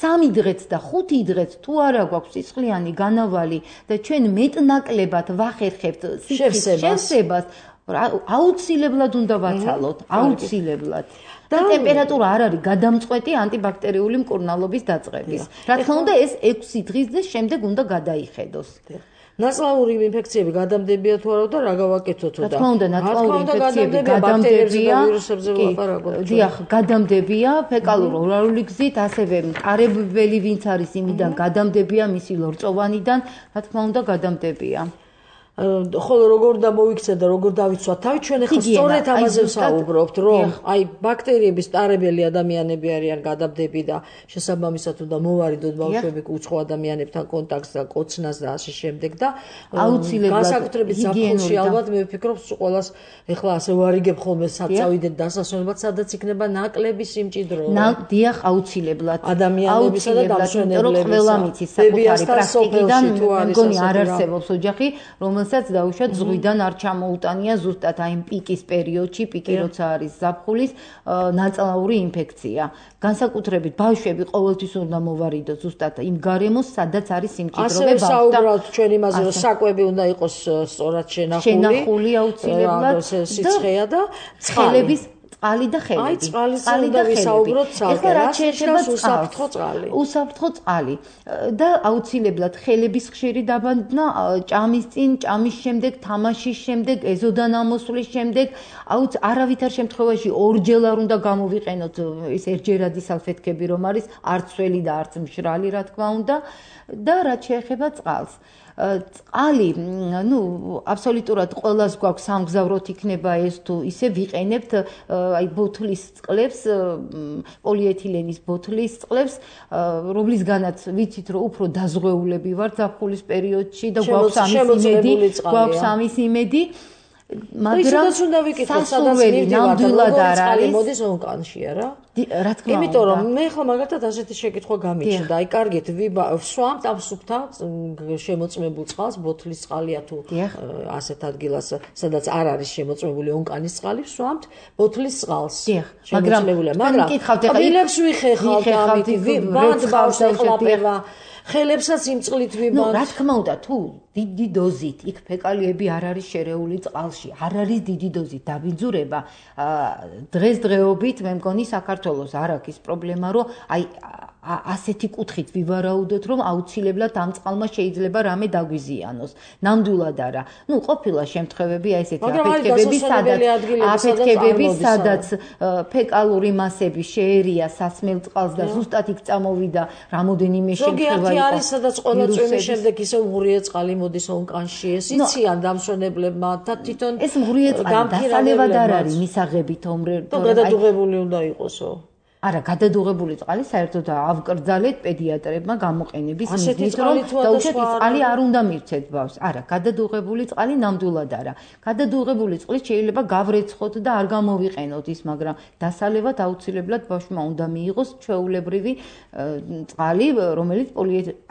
სამი დღეც და ხუთი დღეც თუ არა გვაქვს სისხლიანი განავალი და ჩვენ მეტნაკლებად ვახერხებთ სიხის შევსებას აუცილებლად უნდა ვაცალოთ აუცილებლად და ტემპერატურა არ არის გადამწყვეტი ანტიბაქტერიული მკურნალობის დაწყების. რა თქმა უნდა ეს ექვსი დღის და შემდეგ უნდა გადაიხედოს. ნაწლავური ინფექციები გადამდებია თუ არა და რა გავაკეთოთ და რა თქმა უნდა ნაწლავური ინფექციები გადამდებია დიახ გადამდებია ფეკალურ-ორალური გზით ასევე მყარებელი ვინც არის იმიდან გადამდებია მისი ლორწოვანიდან რა თქმა უნდა გადამდებია ხოლო როგორ და მოიქცეთ და როგორ დავიცვათ თავი ჩვენ ახლა სწორედ ამაზე ვსაუბრობთ რომ აი ბაქტერიების ტარებელი ადამიანები არიან გადამდები და შესაბამისად უნდა მოვარიდოთ ბავშვები უცხო ადამიანებთან კონტაქტს და კოცნას და ასე შემდეგ და აუცილებლად განსაკუთრებით ზაფხულში ალბათ მე ვფიქრობ ყველას ახლა ასე ვარიგებ ხოლმე საწავიდეთ დასასვენებლად სადაც იქნება ნაკლები სიმჭიდრო დიახ აუცილებლად ადამიანებისა და დამსვენებლების ყველა მიცის საკუთარი პრაქტიკიდან მგონი არ არსებობს ოჯახი რომელსაც დაუშვათ ზღვიდან არ ჩამოუტანია ზუსტად აი პიკის პერიოდში, პიკი როცა არის ზაფხულის ნაწლავური ინფექცია. განსაკუთრებით ბავშვები ყოველთვის უნდა მოვარიდოთ ზუსტად იმ გარემოს, სადაც არის სიმჭიდროვე ბავშვი. ასე საუბრობთ ჩვენ იმაზე, რომ საკვები უნდა იყოს სწორად შენახული. შენახული აუცილებლად და სიცხეა და ცხელების წყალი და ხელები. აი, წყალი და ვისაუბროთ ცალკე. რა შეეხება უსაფრთხო წყალი? უსაფრთხო წყალი და აუცილებლად ხელების ხშირი დაბანძნა ჭამის წინ, ჭამის შემდეგ, თამაშის შემდეგ, ეზოდან ამოსვლის შემდეგ, აუც არავითარ შემთხვევაში ორჯერ არ უნდა გამოვიყენოთ ეს ერთჯერადი სალფეთქები რომ არის, არც სველი და არც მშრალი, რა თქმა უნდა, და რაც შეეხება წყალს. წყალი, ну, აბსოლუტურად ყველას გვაქვს სამგზავროთ იქნება ეს თუ ისე ვიყენებთ აი ბოთლის წყლებს, პოლიეთილენის ბოთლის წყლებს, რომლისგანაც ვიცით რომ უფრო დაზღვეულები ვართ ზაფხულის პერიოდში და გვაქვს ამის იმედი, გვაქვს ამის იმედი. მაგრამ უნდა ვიკითხოთ, სადაც მივდივართ, როგორ წყალი მოდის ონკანში, არა? რა თქმა უნდა. იმიტომ რომ მე ხო მაგალითად ასეთი შეკითხვა გამიჩნდა. აი, კარგით, ვსვამთ ამ სუფთა შემოწმებულ წყალს, ბოთლის წყალია თუ ასეთ ადგილას, სადაც არ არის შემოწმებული ონკანის წყალი, ვსვამთ ბოთლის წყალს. შემოწმებულია, მაგრამ კბილებს ვიხეხავთ ამით, ბანდ ბავს ეყლაპება. ხელებსაც იმ წყლით ვიბანთ. ნუ რა თქმა უნდა, თუ დიდი დოზით იქ ფეკალიები არ არის შერეული წყალში, არ არის დიდი დოზით დაბინძურება, დღესდღეობით მე მგონი საქართველოს არ აქვს პრობლემა, რომ აი ასეთი კუთხით ვივარაუდოთ, რომ აუცილებლად ამ წყალმა შეიძლება რამე დაგვიზიანოს. ნამდვილად არა. ნუ ყოფილა შემთხვევები აი ესეთი აფეთქებები, სადაც აფეთქებები, სადაც ფეკალური მასები შეერია სასმელ წყალს და ზუსტად იქ წამოვიდა რამოდენიმე შემთხვევა. ზოგიერთი არის, სადაც ყველა წვიმის შემდეგ ისე მღვრიე წყალი მოდის ონკანში. ეს იციან დამსვენებლებმა და თვითონ ეს მღვრიე წყალი დასალევად არ არის მისაღებით ომრე. და გადადუღებული უნდა იყოსო. არა, გადადუღებული წყალი საერთოდ ავკრძალეთ პედიატრებმა გამოყენების მიზნით, რომ დაუშვათ წყალი არ უნდა მივცეთ ბავშვს. არა, გადადუღებული წყალი ნამდვილად არა. გადადუღებული წყლით შეიძლება გავრეცხოთ და არ გამოვიყენოთ ის, მაგრამ დასალევად აუცილებლად ბავშვმა უნდა მიიღოს ჩვეულებრივი წყალი, რომელიც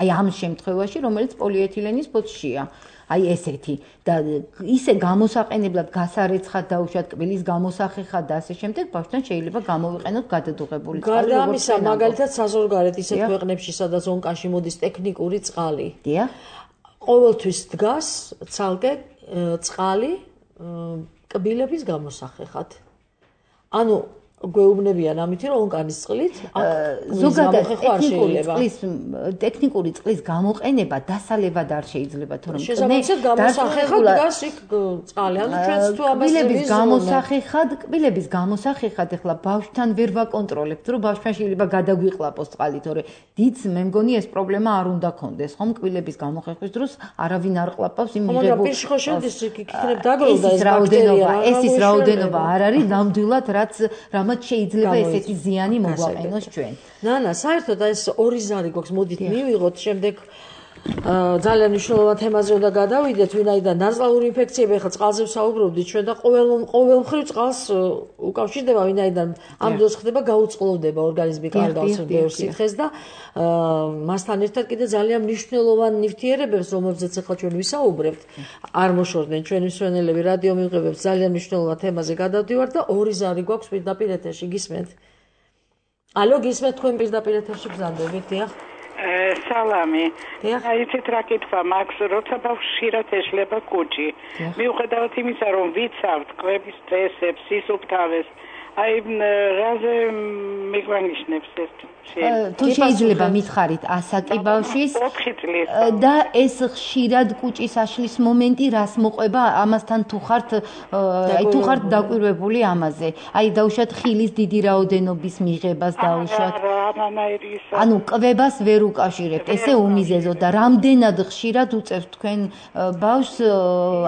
აი ამ შემთხვევაში, რომელიც პოლიეთილენის ბოთლშია. აი ესეთი და ისე გამოსაყენებლად გასარეცხად დაუშვათ კბილის გამოსახეხად და ასე შემდეგ ბავშვთან შეიძლება გამოვიყენოთ გადადუღებული წყალი. გარდა ამისა, მაგალითად საზღვარგარეთ ისეთ ქვეყნებში, სადაც ონკანში მოდის ტექნიკური წყალი. დიახ. ყოველთვის დგას ცალკე წყალი კბილების გამოსახეხად. ანუ გვეუბნებიან ამით, რომ ონკანის წყლით ზოგადად ტექნიკური წყლის ტექნიკური წყლის გამოყენება დასალევად არ შეიძლება, თორემ შესაბამისად გამოსახეხად დგას იქ წყალი. ანუ ჩვენც თუ ამას კბილების გამოსახეხად, კბილების გამოსახეხად ახლა ბავშვთან ვერ ვაკონტროლებთ, რომ ბავშვთან შეიძლება გადაგვიყლაპოს წყალი, თორე დიდს მე მგონი ეს პრობლემა არ უნდა კონდეს, ხომ კბილების გამოხეხვის დროს არავინ არ ყლაპავს იმ მიღებულ. მაგრამ პირში ხო შედის იქნებ დაგროვდა ეს ბაქტერია. ეს ის რაოდენობა არ არის ნამდვილად, რაც მათ შეიძლება ესეთი ზიანი მოგვაყენოს ჩვენ. ნანა, საერთოდ ეს ორი ზარი გვაქვს, მოდით მივიღოთ, შემდეგ ძალიან მნიშვნელოვან თემაზე უნდა გადავიდეთ, ვინაიდან ნაწლავური ინფექციები, ახლა წყალზე ვსაუბრობდით ჩვენ და ყოველ ყოველმხრივ წყალს უკავშირდება, ვინაიდან ამ დროს ხდება გაუწყლოვდება ორგანიზმი კარგავს ბევრ სითხეს და მასთან ერთად კიდე ძალიან მნიშვნელოვან ნივთიერებებს, რომლებზეც ახლა ჩვენ ვისაუბრებთ, არ მოშორდნენ ჩვენი მსმენელები რადიო მიღებებს ძალიან მნიშვნელოვან თემაზე გადავდივართ და ორი ზარი გვაქვს პირდაპირ ეთერში, გისმენთ? ალო, გისმენთ თქვენ პირდაპირ ეთერში ბრძანდებით, დიახ? სალამი. აი იცით რა კითხვა მაქვს, როცა ბავშვი ეშლება კუჭი. მიუხედავად იმისა, რომ ვიცავთ კვების წესებს, სისუფთავეს, აი რაზე მიგვანიშნებს ეს? თუ შეიძლება მითხარით ასაკი ბავშვის და ეს ხშირად კუჭის აშლის მომენტი რას მოყვება ამასთან თუ ხართ აი თუ ხართ დაკვირვებული ამაზე. აი დაუშვათ ხილის დიდი რაოდენობის მიღებას დაუშვათ. ანუ კვებას ვერ უკავშირებთ. ესე უმიზეზო და რამდენად ხშირად უწევთ თქვენ ბავშვს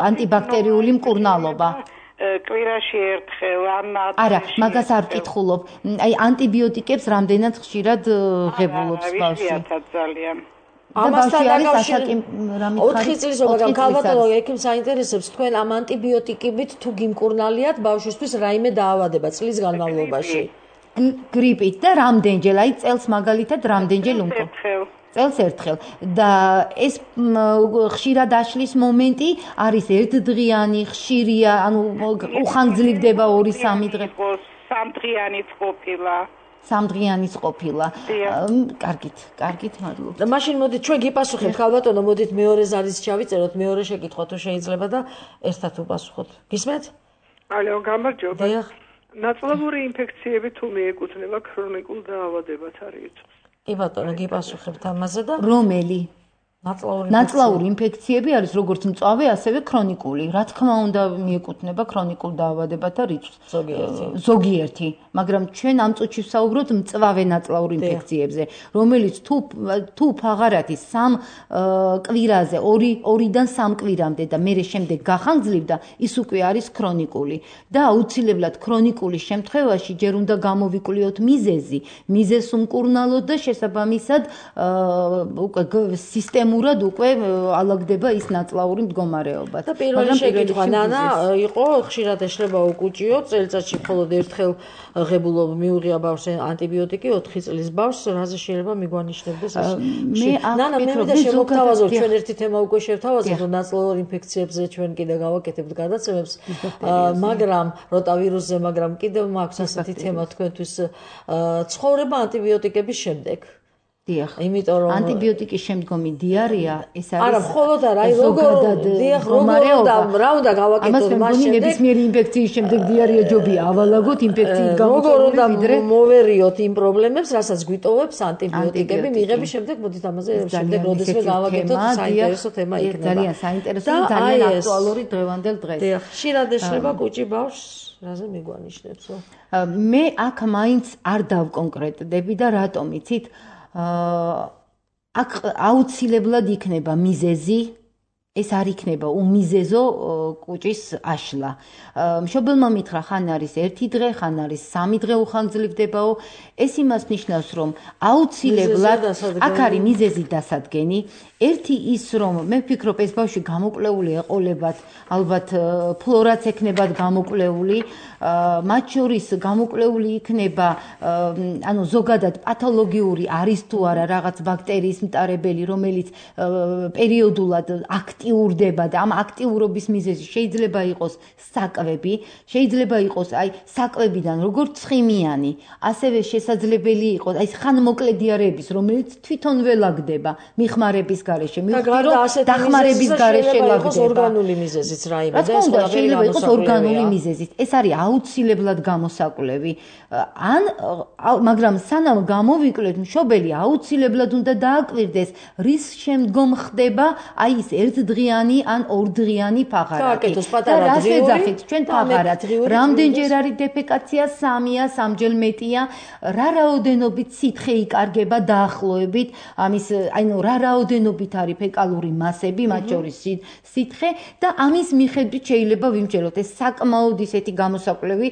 ანტიბაქტერიული მკურნალობა? კვირაში ერთხელ ან არა, მაგას არ ვკითხულობ. აი ანტიბიოტიკებს რამდენად ხშირად ღებულობს ბავშვი? ძალიან. ამასთან დაკავშირებით ოთხი წლის მაგრამ ქალბატონო ექიმ საინტერესებს თქვენ ამ ანტიბიოტიკებით თუ გიმკურნალიათ ბავშვისთვის რაიმე დაავადება წლის განმავლობაში? გრიპით და რამდენჯერ, აი წელს მაგალითად რამდენჯერ უნდა? წელს ერთხელ და ეს ხშირად აშლის მომენტი არის ერთდღიანი, ხშირია, ანუ უხანგრძლივდება ორი სამი დღე. სამდღიანიც ყოფილა. სამდღიანიც ყოფილა. კარგით, კარგით, მადლობა. და მაშინ მოდით ჩვენ გიპასუხებთ ქალბატონო, მოდით მეორე ზარის ჩავიწეროთ, მეორე შეკითხვა თუ შეიძლება და ერთად უპასუხოთ. გისმენთ? ალო, გამარჯობა. დიახ. ნაწლავური ინფექციები თუ მიეკუთვნება ქრონიკულ დაავადებათ არის იწვევს. კი ბატონო, გიპასუხებთ ამაზე და რომელი ნაწლავური ნაწლავური ინფექციები არის როგორც მწვავე, ასევე ქრონიკული. რა თქმა უნდა, მიეკუთვნება ქრონიკულ დაავადებათა რიცხვს. ზოგიერთი. ზოგიერთი, მაგრამ ჩვენ ამ წუთში ვსაუბრობთ მწვავე ნაწლავურ ინფექციებზე, რომელიც თუ თუ ფაღარათი სამ კვირაზე, ორიდან სამ კვირამდე და მერე შემდეგ გახანგრძლივდა, ის უკვე არის ქრონიკული. და აუცილებლად ქრონიკული შემთხვევაში ჯერ უნდა გამოვიკვლიოთ მიზეზი, მიზეზს უმკურნალოთ და შესაბამისად უკვე სისტემა მურად უკვე ალაგდება ის ნაწლავური მდგომარეობა. და პირველი შეკითხვა ნანა იყო, ხშირად ეშლება უკუჭიო, წელიწადში მხოლოდ ერთხელ ღებულობ მიუღია ბავშვს ანტიბიოტიკი, ოთხი წლის ბავშვს, რაზე შეიძლება მიგვანიშნებდეს ეს? ნანა, მე მინდა შემოგთავაზოთ, ჩვენ ერთი თემა უკვე შევთავაზეთ, რომ ნაწლავურ ინფექციებზე ჩვენ კიდე გავაკეთებთ გადაცემებს, მაგრამ როტავირუსზე, მაგრამ კიდევ მაქვს ასეთი თემა თქვენთვის ცხოვრება ანტიბიოტიკების შემდეგ. დიახ. იმიტომ რომ ანტიბიოტიკის შემდგომი დიარეა ეს არის არა, მხოლოდ არა, აი როგორ დიახ, როგორ და რა უნდა გავაკეთოთ მას შემდეგ? ნებისმიერი ინფექციის შემდეგ დიარეა ჯობია ავალაგოთ ინფექციით გამოწვეული ვიდრე მოვერიოთ იმ პრობლემებს, რასაც გვიტოვებს ანტიბიოტიკები მიღების შემდეგ, მოდით ამაზე შემდეგ როდესმე გავაკეთოთ, საინტერესო თემა იქნება. ძალიან საინტერესო და ძალიან აქტუალური დღევანდელ დღეს. დიახ, ხშირად ეშლება კუჭი ბავშვს, რაზე მიგვანიშნებსო? მე აქ მაინც არ დავკონკრეტდები და რატომ იცით? აქ აუცილებლად იქნება მიზეზი, ეს არ იქნება უმიზეზო კუჭის აშლა. მშობელმა მითხრა, ხან არის ერთი დღე, ხან არის სამი დღე უხანგრძლივდებაო. ეს იმას ნიშნავს, რომ აუცილებლად აქ არის მიზეზი დასადგენი. ერთი ის, რომ მე ვფიქრობ, ეს ბავშვი გამოკვლეული ეყოლებათ, ალბათ ფლორაც ექნებათ გამოკვლეული, მათ შორის გამოკვლეული იქნება, ანუ ზოგადად პათოლოგიური არის თუ არა რაღაც ბაქტერიის მტარებელი, რომელიც პერიოდულად აქტიურდება და ამ აქტიურობის მიზეზი შეიძლება იყოს საკვები, შეიძლება იყოს აი საკვებიდან როგორც ცხიმიანი, ასევე შესაძლებელი იყოს აი ხანმოკლე დიარეების, რომელიც თვითონ ველაგდება მიხმარების გარეშე, მივხვდი რომ დახმარების გარეშე ლაგდება. ორგანული მიზეზიც რაიმე და ეს შეიძლება იყოს ორგანული მიზეზით. ეს არის აუცილებლად გამოსაკვლევი. ან მაგრამ სანამ გამოვიკლეთ, მშობელი აუცილებლად უნდა დააკვირდეს, რის შემდგომ ხდება აი ეს ერთდღიანი ან ორდღიანი ფაღარათი. გააკეთოს პატარა დღიური. რას ვეძახით ჩვენ ფაღარათს? რამდენჯერ არის დეფეკაცია? სამია, სამჯერ მეტია. რა რაოდენობით სითხე იკარგება დაახლოებით? ამის აინუ რა რაოდენობით არის ფეკალური მასები, მათ შორის სითხე და ამის მიხედვით შეიძლება ვიმჯეროთ ეს საკმაოდ ისეთი გამოსაკვლევი,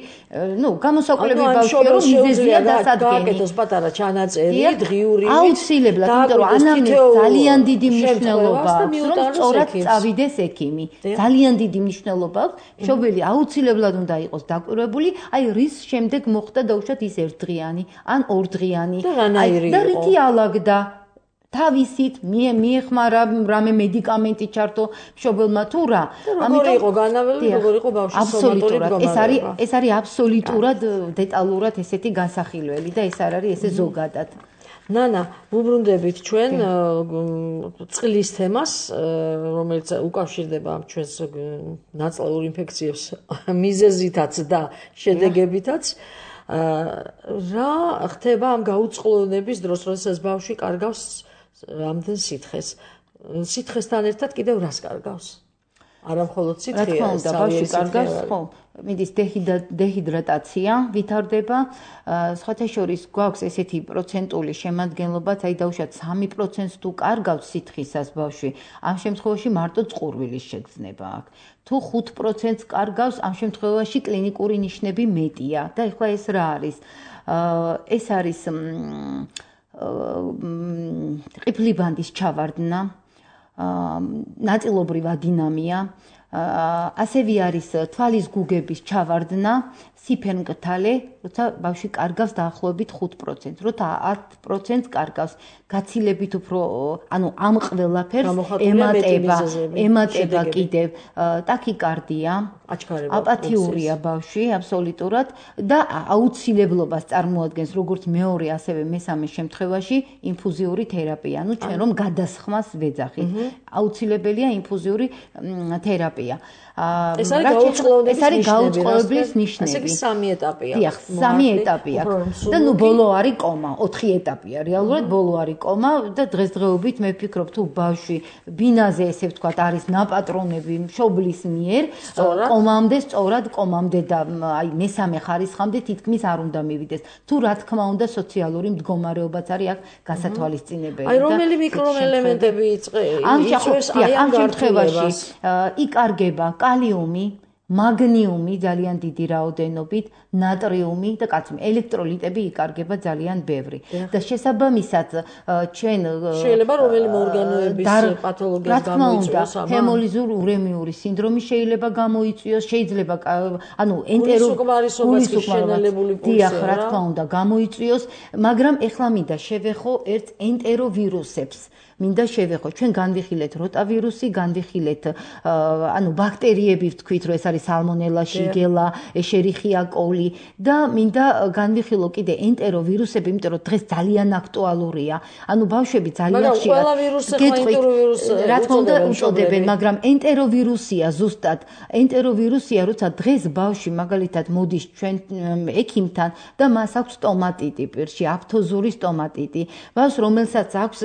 ნუ გამოსაკვლევი ბავშვია, რომ მიზეზია დასადგენი. გააკეთოს პატარა ჩანაწერი, დღიური. აუცილებლად, იმიტომ რომ ანამნეზი ძალიან დიდი მნიშვნელობა აქვს, რომ სწორად წავიდეს ექიმი. ძალიან დიდი მნიშვნელობა აქვს. მშობელი აუცილებლად უნდა იყოს დაკვირვებული, აი რის შემდეგ მოხდა დაუშვათ ის ერთდღიანი ან ორდღიანი. და რითი ალაგდა? თავისით მიეხმარა რამე მედიკამენტი ჩართო მშობელმა თუ რა. ამიტომ იყო განავრელი, როგორ იყო ბავშვის სომატური მდგომარეობა. ეს არის ეს არის აბსოლუტურად დეტალურად ესეთი განსახილველი და ეს არ არის ესე ზოგადად. ნანა, ვუბრუნდებით ჩვენ წყლის თემას, რომელიც უკავშირდება ჩვენს ნაწლავურ ინფექციებს მიზეზითაც და შედეგებითაც. რა ხდება ამ გაუწყლონების დროს, როდესაც ბავშვი კარგავს ამდენ სითხეს. სითხესთან ერთად კიდევ რას კარგავს? არა მხოლოდ სითხეა, რა თქმა უნდა, ბავშვი კარგავს, ხო, მიდის დეჰიდრატაცია ვითარდება. სხვათა შორის გვაქვს ესეთი პროცენტული შემადგენლობაც, აი დაუშვათ სამი პროცენტს თუ კარგავს სითხისას ბავშვი, ამ შემთხვევაში მარტო წყურვილის შეგრძნება აქვს. თუ ხუთ პროცენტს კარგავს, ამ შემთხვევაში კლინიკური ნიშნები მეტია. და ეხლა ეს რა არის? ეს არის ყიფლი ბანდის ჩავარდნა, ნაწილობრივ ადინამია, ასევე არის თვალის გუგების ჩავარდნა, სიფერმკრთალე, როცა ბავშვი კარგავს დაახლოებით ხუთ პროცენტს, როცა ათ პროცენტს კარგავს, გაცილებით უფრო, ანუ ამ ყველაფერს ემატება, ემატება კიდევ ტაქიკარდია, აპათიურია ბავშვი, აბსოლუტურად და აუცილებლობას წარმოადგენს როგორც მეორე, ასევე მესამე შემთხვევაში ინფუზიური თერაპია. ანუ ჩვენ რომ გადასხმას ვეძახით. აუცილებელია ინფუზიური თერაპია. ეტაპია. ეს არის გაუწყლოების ეს არის გაუწყლოების ნიშნები. ესე იგი სამი ეტაპია. დიახ, სამი ეტაპია. და ნუ ბოლო არის კომა, ოთხი ეტაპია. რეალურად ბოლო არის კომა და დღესდღეობით მე ვფიქრობ თუ ბავშვი ბინაზე ესე ვთქვათ არის ნაპატრონები მშობლის მიერ, კომამდე სწორად კომამდე და აი მესამე ხარისხამდე თითქმის არ უნდა მივიდეს. თუ რა თქმა უნდა სოციალური მდგომარეობაც არის აქ გასათვალისწინებელი. აი რომელი მიკროელემენტები იწვევს აი ამ შემთხვევაში იკარგება კალიუმი, მაგნიუმი ძალიან დიდი რაოდენობით, ნატრიუმი და კაცმი ელექტროლიტები იკარგება ძალიან ბევრი. და შესაბამისად ჩვენ შეიძლება რომელიმე ორგანოების პათოლოგიას გამოიწვიოს ამა ჰემოლიზურ ურემიური სინდრომი შეიძლება გამოიწვიოს, შეიძლება ანუ ენტეროგულისუკმარისობის შენელებული პულსი დიახ, რა თქმა უნდა გამოიწვიოს, მაგრამ ეხლა მინდა შევეხო ერთ ენტეროვირუსებს. მინდა შევეხო, ჩვენ განვიხილეთ როტავირუსი, განვიხილეთ ანუ ბაქტერიები ვთქვით, რომ ეს არის სალმონელა, შიგელა, ეშერიხია კოლი და მინდა განვიხილო კიდე ენტეროვირუსები, იმიტომ რომ დღეს ძალიან აქტუალურია. ანუ ბავშვები ძალიან ხშირად ყველა ვირუსი ხო ენტეროვირუსი რა თქმა უნდა უწოდებენ, მაგრამ ენტეროვირუსია ზუსტად. ენტეროვირუსია, როცა დღეს ბავშვი მაგალითად მოდის ჩვენ ექიმთან და მას აქვს სტომატიტი პირში, აფთოზური სტომატიტი. ბავშვს რომელსაც აქვს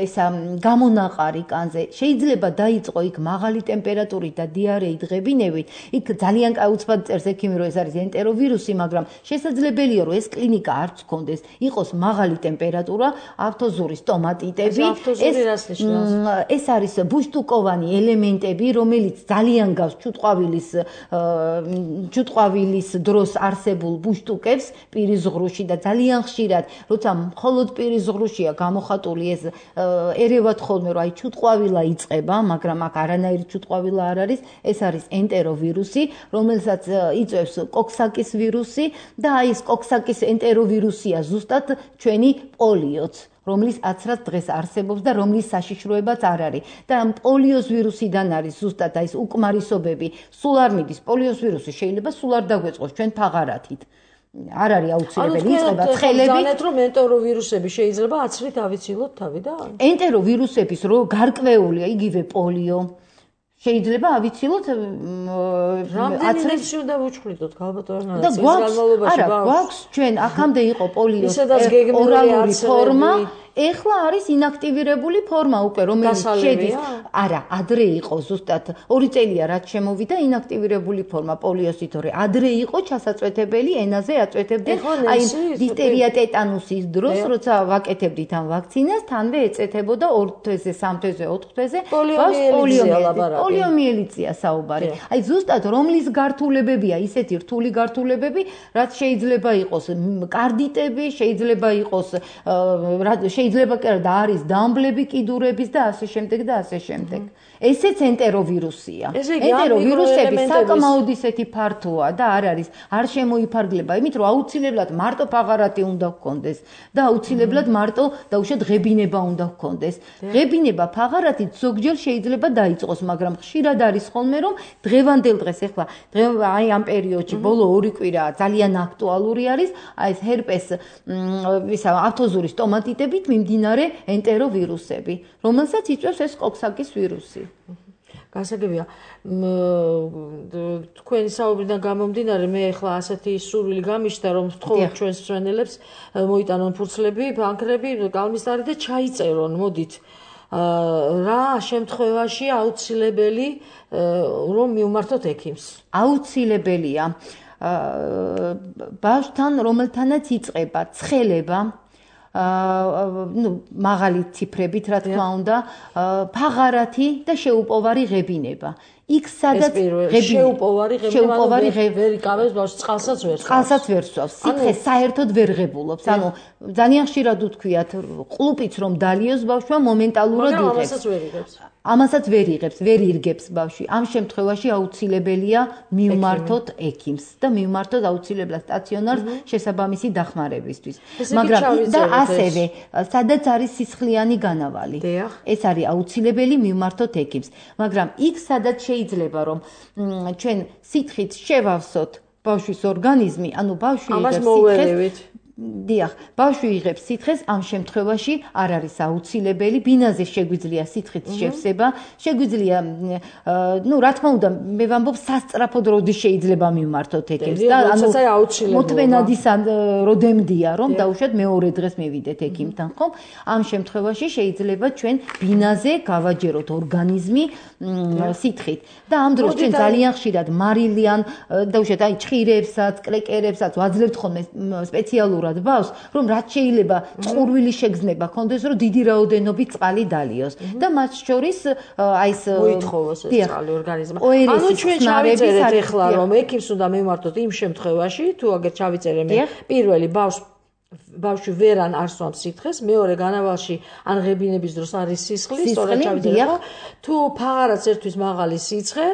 ეს გამონაყარი კანზე შეიძლება დაიწყო იქ მაღალი ტემპერატურით და დიარეით ღებინებით იქ ძალიან კაუცბად წერს ექიმი რომ ეს არის ენტეროვირუსი მაგრამ შესაძლებელია რომ ეს კლინიკა არც გქონდეს იყოს მაღალი ტემპერატურა აფთოზური სტომატიტები ეს არის ბუშტუკოვანი ელემენტები რომელიც ძალიან გავს ჩუტყვავილის ჩუტყვავილის დროს არსებულ ბუშტუკებს პირის ღრუში და ძალიან ხშირად როცა მხოლოდ პირის ღრუშია გამოხატული ეს ერევათ ხოლმე რომ აი ჩუტყვავილა იწყება, მაგრამ აქ არანაირი ჩუტყვავილა არ არის, ეს არის ენტეროვირუსი, რომელსაც იწვევს კოქსაკის ვირუსი და აი ეს კოქსაკის ენტეროვირუსია ზუსტად ჩვენი პოლიოც. რომლის აცრად დღეს არსებობს და რომლის საშიშროებაც არ არის. და პოლიოს ვირუსიდან არის ზუსტად აი ეს უკმარისობები. სულ არ მიდის პოლიოს ვირუსი შეიძლება სულ არ დაგვეწყოს ჩვენ ფაღარათით. არ არის აუცილებელი იწყება ცხელები. ანუ რომ ენტეროვირუსები შეიძლება აცრით ავიცილოთ თავიდან? ენტეროვირუსების რო გარკვეულია იგივე პოლიო. შეიძლება ავიცილოთ აცრით უნდა ვუჩხრიდოთ გალბატონო და განმავლობაში ბავშვს. არა, გვაქვს ჩვენ აქამდე იყო პოლიოს ორალური ფორმა. ეხლა არის ინაქტივირებული ფორმა უკვე რომელიც შედის არა ადრე იყო ზუსტად ორი წელია რაც შემოვიდა ინაქტივირებული ფორმა პოლიოსით თორე ადრე იყო ჩასაწვეთებელი ენაზე აწვეთებდნენ აი დიფტერია ტეტანუსის დროს როცა ვაკეთებდით ამ ვაქცინას თანვე ეწეთებოდა ორ თვეზე სამ თვეზე ოთხ თვეზე პოლიომიელიტია საუბარი აი ზუსტად რომლის გართულებებია ისეთი რთული გართულებები რაც შეიძლება იყოს კარდიტები შეიძლება იყოს შეიძლება და არის დამბლები კიდურების და ასე შემდეგ და ასე შემდეგ. ესეც ენტეროვირუსია. ენტეროვირუსები საკმაოდ ისეთი ფართოა და არ არის არ შემოიფარგლება იმით რომ აუცილებლად მარტო ფაღარათი უნდა გქონდეს და აუცილებლად მარტო დაუშვათ ღებინება უნდა გქონდეს. ღებინება ფაღარათით ზოგჯერ შეიძლება დაიწყოს, მაგრამ ხშირად არის ხოლმე რომ დღევანდელ დღეს ეხლა აი ამ პერიოდში ბოლო ორი კვირა ძალიან აქტუალური არის აი ეს ჰერპეს ისა აფთოზური სტომატიტებით მიმდინარე ენტეროვირუსები, რომელსაც იწვევს ეს კოქსაკის ვირუსი. გასაგებია, თქვენი საუბრიდან გამომდინარე, მე ახლა ასეთი სურვილი გამიშთა, რომ ვთხოვოთ ჩვენს მშენელებს მოიტანონ ფურცლები, ბანკრები, კალმისტარი და ჩაიწერონ, მოდით. რა შემთხვევაში აუცილებელი რომ მივმართოთ ექიმს? აუცილებელია ბავშვთან, რომელთანაც იწყება ცხელება ну მაღალი ციფრებით რა თქმა უნდა ფაღარათი და შეუპოვარი ღებინება იქ სადაც შეუპოვარი ღებინება ვერ იკავებს ბავშვს წყალსაც ვერ წყალსაც ვერ სვავს სითხე საერთოდ ვერ ღებულობს ანუ ძალიან ხშირად უთქვიათ ყლუპიც რომ დალიოს ბავშვმა მომენტალურად იღებს ამასაც ვერ იღებს ამასაც ვერ იღებს ვერ ირგებს ბავშვი ამ შემთხვევაში აუცილებელია მივმართოთ ექიმს და მივმართოთ აუცილებლად სტაციონარს შესაბამისი დახმარებისთვის მაგრამ და ასევე სადაც არის სისხლიანი განავალი ეს არის აუცილებელი მივმართოთ ექიმს მაგრამ იქ სადაც შეიძლება რომ ჩვენ სითხით შევავსოთ ბავშვის ორგანიზმი ანუ ბავშვი იღებს სითხეს დიახ, ბავშვი იღებს სითხეს, ამ შემთხვევაში არ არის აუცილებელი, ბინაზე შეგვიძლია სითხის შევსება, შეგვიძლია, ну, რა თქმა უნდა, მე ვამბობ, სასწრაფოდ როდის შეიძლება მივმართოთ ექიმს და ანუ მოთმენად ის როდემდია, რომ დაუშვათ მეორე დღეს მივიდეთ ექიმთან, ხო? ამ შემთხვევაში შეიძლება ჩვენ ბინაზე გავაჯეროთ ორგანიზმი სითხით და ამ დროს ჩვენ ძალიან ხშირად მარილიან, დაუშვათ, აი, ჭხირებსაც, კლეკერებსაც ვაძლევთ ხოლმე სპეციალურად ბავშვს, რომ რაც შეიძლება წყურვილი შეგრძნება ქონდეს, რომ დიდი რაოდენობით წყალი დალიოს და მათ შორის აი ეს მოითხოვოს ეს წყალი ორგანიზმმა. ანუ ჩვენ ჩავიწერეთ ახლა, რომ ექიმს უნდა მივმართოთ იმ შემთხვევაში, თუ აგერ ჩავიწერე მე პირველი ბავშვს ბავშვი ვერან არ სვამს სითხეს, მეორე განავალში ან ღებინების დროს არის სისხლი, სწორად ჩავიწერე ხო? თუ ფაღარაც ერთვის მაღალი სიცხე,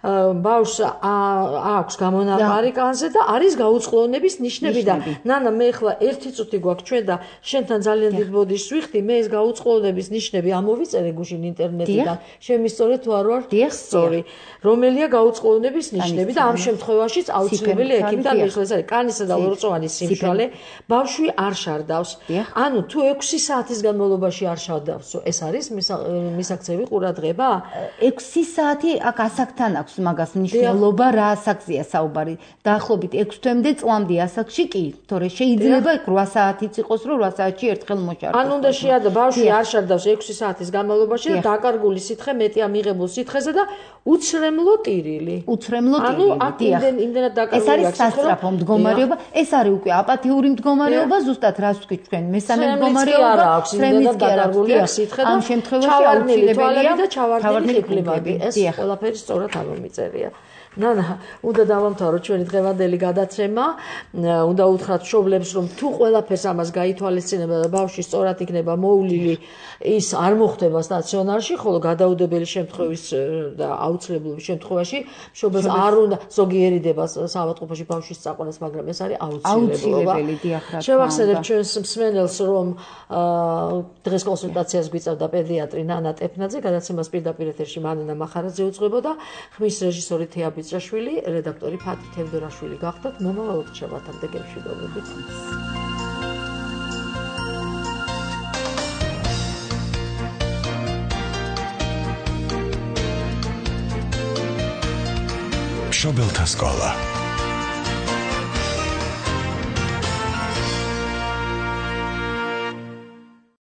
ბავშვს აქვს გამონაყარი კანზე და არის გაუწყლოვნების ნიშნები და ნანა მე ახლა ერთი წუთი გვაქვს ჩვენ და შენთან ძალიან დიდ ბოდიშს ვიხდი, მე ეს გაუწყლოვნების ნიშნები ამოვიწერე გუშინ ინტერნეტიდან. შემისწორე თუ არ ვარ სწორი. რომელია გაუწყლოვნების ნიშნები და ამ შემთხვევაშიც აუცილებელი ექიმთან მიხდეს არის კანისა და ლორწოვანის სიმშრალე, ბავშვი არ შარდავს. ანუ თუ ექვსი საათის განმავლობაში არ შარდავს, ეს არის მისაქცევი ყურადღება? ექვსი საათი აქ ასაკთან აქვს მაგას მნიშვნელობა რა ასაკზეა საუბარი. დაახლოებით ექვს თვემდე წლამდე ასაკში კი, თორე შეიძლება რვა საათიც იყოს, რომ რვა საათში ერთხელ მოშარდოს. ან უნდა შეადო ბავშვი არ შარდავს ექვსი საათის განმავლობაში და დაკარგული სითხე მეტია მიღებულ სითხეზე და უცრემლო ტირილი. უცრემლო ტირილი. ანუ აქ იმდენად დაკარგული ეს არის სასწრაფო მდგომარეობა, ეს არის უკვე აპათიური მდგომარეობა, ზუსტად რას ვთქვით ჩვენ, მესამე მდგომარეობა, იმდენად დაკარგულია სითხე და ამ შემთხვევაში აუცილებელია და ჩავარდნილი ხიფლები. ეს ყველაფერი სწორად ამომიწერია. ნანა, უნდა დავამთავროთ ჩვენი დღევანდელი გადაცემა. უნდა უთხრათ მშობლებს, რომ თუ ყველაფერს ამას გაითვალისწინება და ბავშვი სწორად იქნება მოვლილი, ის არ მოხდება სტაციონარში, ხოლო გადაუდებელი შემთხვევის და აუცილებლობის შემთხვევაში მშობლებს არ უნდა ზოგიერი დება საავადმყოფოში ბავშვის წაყვანას, მაგრამ ეს არის აუცილებელი. შევახსენებ ჩვენს მსმენელს, რომ დღეს კონსულტაციას გვიწევდა პედიატრი ნანა ტეფნაძე, გადაცემას პირდაპირ ეთერში მანანა მახარაძე უძღვებოდა, ხმის რეჟისორი თეა ბიძრაშვილი, რედაქტორი ფათი თევდორაშვილი გახდათ. მომავალ ოთხშაბათამდე გემშვიდობებით. მშობელთა სკოლა.